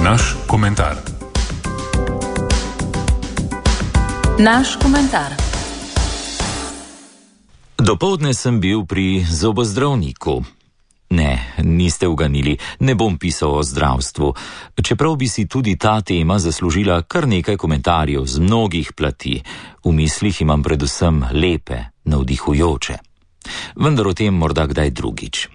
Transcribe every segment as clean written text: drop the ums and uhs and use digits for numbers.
Naš komentar. Naš komentar. Dopoldne sem bil pri zobozdravniku. Ne, niste uganili, ne bom pisal o zdravstvu, čeprav bi si tudi ta tema zaslužila kar nekaj komentarjev z mnogih plati. V mislih imam predvsem lepe, navdihujoče. Vendar o tem morda kdaj drugič.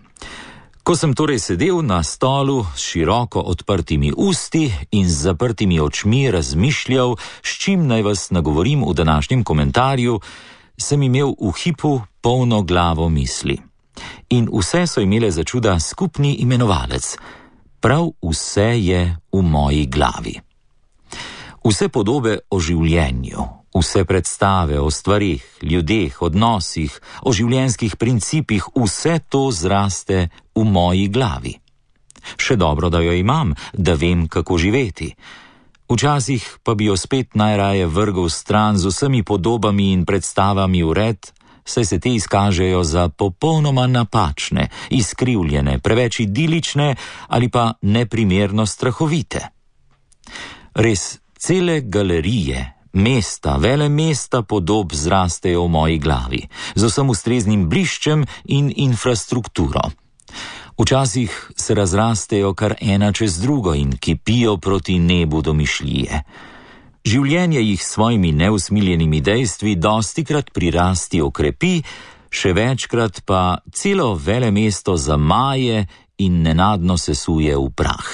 Ko sem torej sedel na stolu s široko odprtimi usti in z zaprtimi očmi razmišljal, s čim naj vas nagovorim v današnjem komentarju, sem imel v hipu polno glavo misli. In vse so imele za čuda skupni imenovalec. Prav vse je v moji glavi. Vse podobe o življenju, vse predstave o stvarih, ljudeh, odnosih, o življenjskih principih, vse to zraste v moji glavi. Še dobro, da jo imam, da vem, kako živeti. Včasih pa bi jo spet najraje vrgel stran z vsemi podobami in predstavami v red, saj se te izkažejo za popolnoma napačne, izkrivljene, preveč idilične ali pa neprimerno strahovite. Res, cele galerije, mesta, vele mesta podob zrastejo v moji glavi, z vsem ustreznim bliščem in infrastrukturo. Včasih se razrastejo kar ena čez drugo in kipijo proti nebu domišljije. Življenje jih s svojimi neusmiljenimi dejstvi dostikrat prirasti okrepi, še večkrat pa celo velemesto zamaje in nenadno sesuje v prah.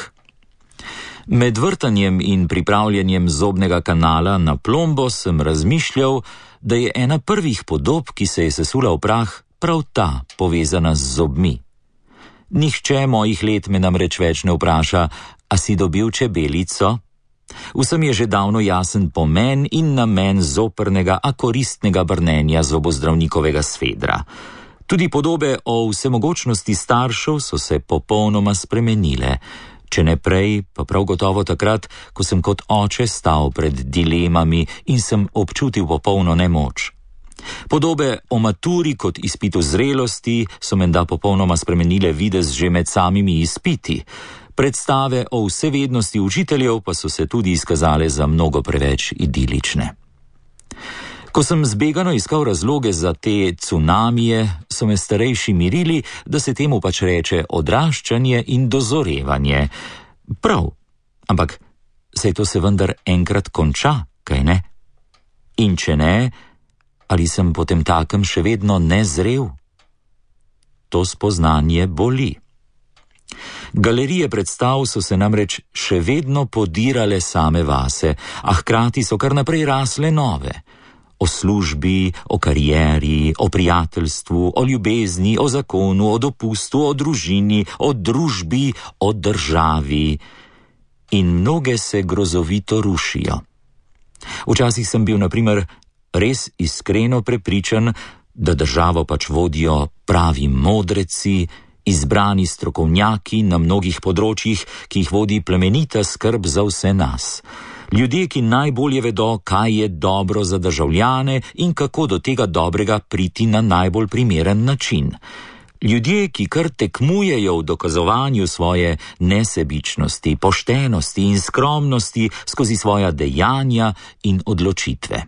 Med vrtanjem in pripravljanjem zobnega kanala na plombo sem razmišljal, da je ena prvih podob, ki se je sesula v prah, prav ta povezana z zobmi. Nihče mojih let me namreč več ne vpraša, a si dobil čebelico? Vsem je že davno jasen pomen in namen zoprnega, a koristnega brnenja zobozdravnikovega svedra. Tudi podobe o vsemogočnosti staršev so se popolnoma spremenile. Če ne prej, pa prav gotovo takrat, ko sem kot oče stal pred dilemami in sem občutil popolno nemoč. Podobe o maturi kot izpitu zrelosti so menda popolnoma spremenile videz že med samimi izpiti. Predstave o vsevednosti učiteljev pa so se tudi izkazale za mnogo preveč idilične. Ko sem zbegano iskal razloge za te cunamije, so me starejši mirili, da se temu pač reče odraščanje in dozorevanje. Prav, ampak saj to se vendar enkrat konča, kaj ne? In če ne, ali sem potem takem še vedno nezrel? To spoznanje boli. Galerije predstav so se namreč še vedno podirale same vase, a hkrati so kar naprej rasle nove. O službi, o karieri, o prijateljstvu, o ljubezni, o zakonu, o dopustu, o družini, o družbi, o državi. In mnoge se grozovito rušijo. Včasih sem bil, na primer, res iskreno prepričan, da državo pač vodijo pravi modreci, izbrani strokovnjaki na mnogih področjih, ki jih vodi plemenita skrb za vse nas. Ljudje, ki najbolje vedo, kaj je dobro za državljane in kako do tega dobrega priti na najbolj primeren način. Ljudje, ki kar tekmujejo v dokazovanju svoje nesebičnosti, poštenosti in skromnosti skozi svoja dejanja in odločitve.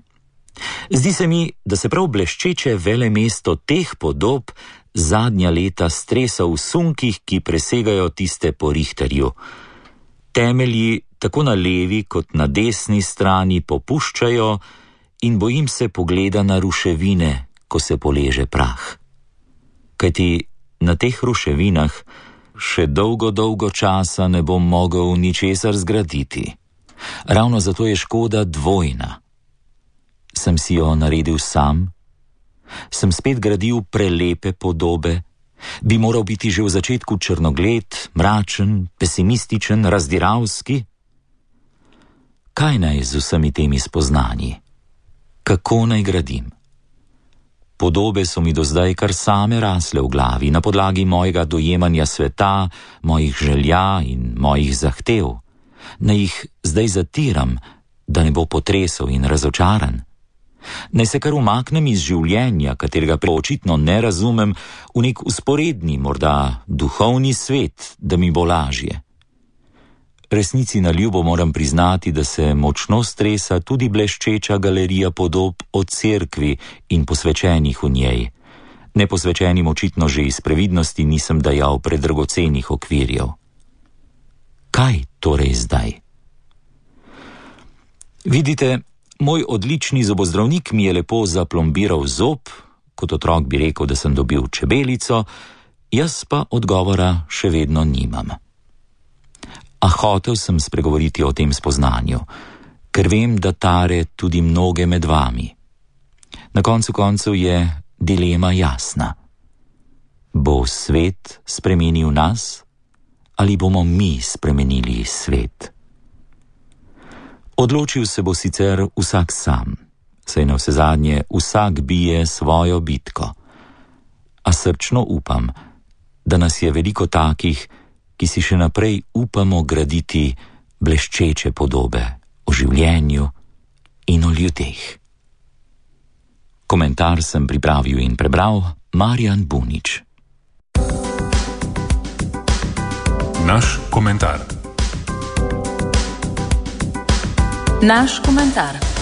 Zdi se mi, da se prav bleščeče velemesto teh podob zadnja leta stresa v sunkih, ki presegajo tiste po Richterju. Temelji tako na levi kot na desni strani popuščajo in bojim se pogleda na ruševine, ko se poleže prah. Kajti na teh ruševinah še dolgo časa ne bom mogel ničesar zgraditi. Ravno zato je škoda dvojna. Sem si jo naredil sam? Sem spet gradil prelepe podobe? Bi moral biti že v začetku črnogled, mračen, pesimističen, razdiralski? Kaj naj z vsemi temi spoznanji? Kako naj gradim? Podobe so mi do zdaj kar same rasle v glavi, na podlagi mojega dojemanja sveta, mojih želja in mojih zahtev. Naj jih zdaj zatiram, da ne bo potresel in razočaran. Naj se kar umaknem iz življenja, katerega očitno ne razumem, v nek vzporedni, morda duhovni svet, da mi bo lažje. Resnici na ljubo moram priznati, da se močno stresa tudi bleščeča galerija podob o cerkvi in posvečenih v njej. Neposvečenim očitno že iz previdnosti nisem dajal predragocenih okvirjev. Kaj torej zdaj? Vidite, moj odlični zobozdravnik mi je lepo zaplombiral zob, kot otrok bi rekel, da sem dobil čebelico, jaz pa odgovora še vedno nimam. A hotel sem spregovoriti o tem spoznanju, ker vem, da tare tudi mnoge med vami. Na koncu koncev je dilema jasna. Bo svet spremenil nas ali bomo mi spremenili svet? Odločil se bo sicer vsak sam, saj navsezadnje vsak bije svojo bitko. A srčno upam, da nas je veliko takih, ki si še naprej upamo graditi bleščeče podobe o življenju in o ljudeh. Komentar sem pripravil in prebral Marjan Bunič. Naš komentar. Naš komentar.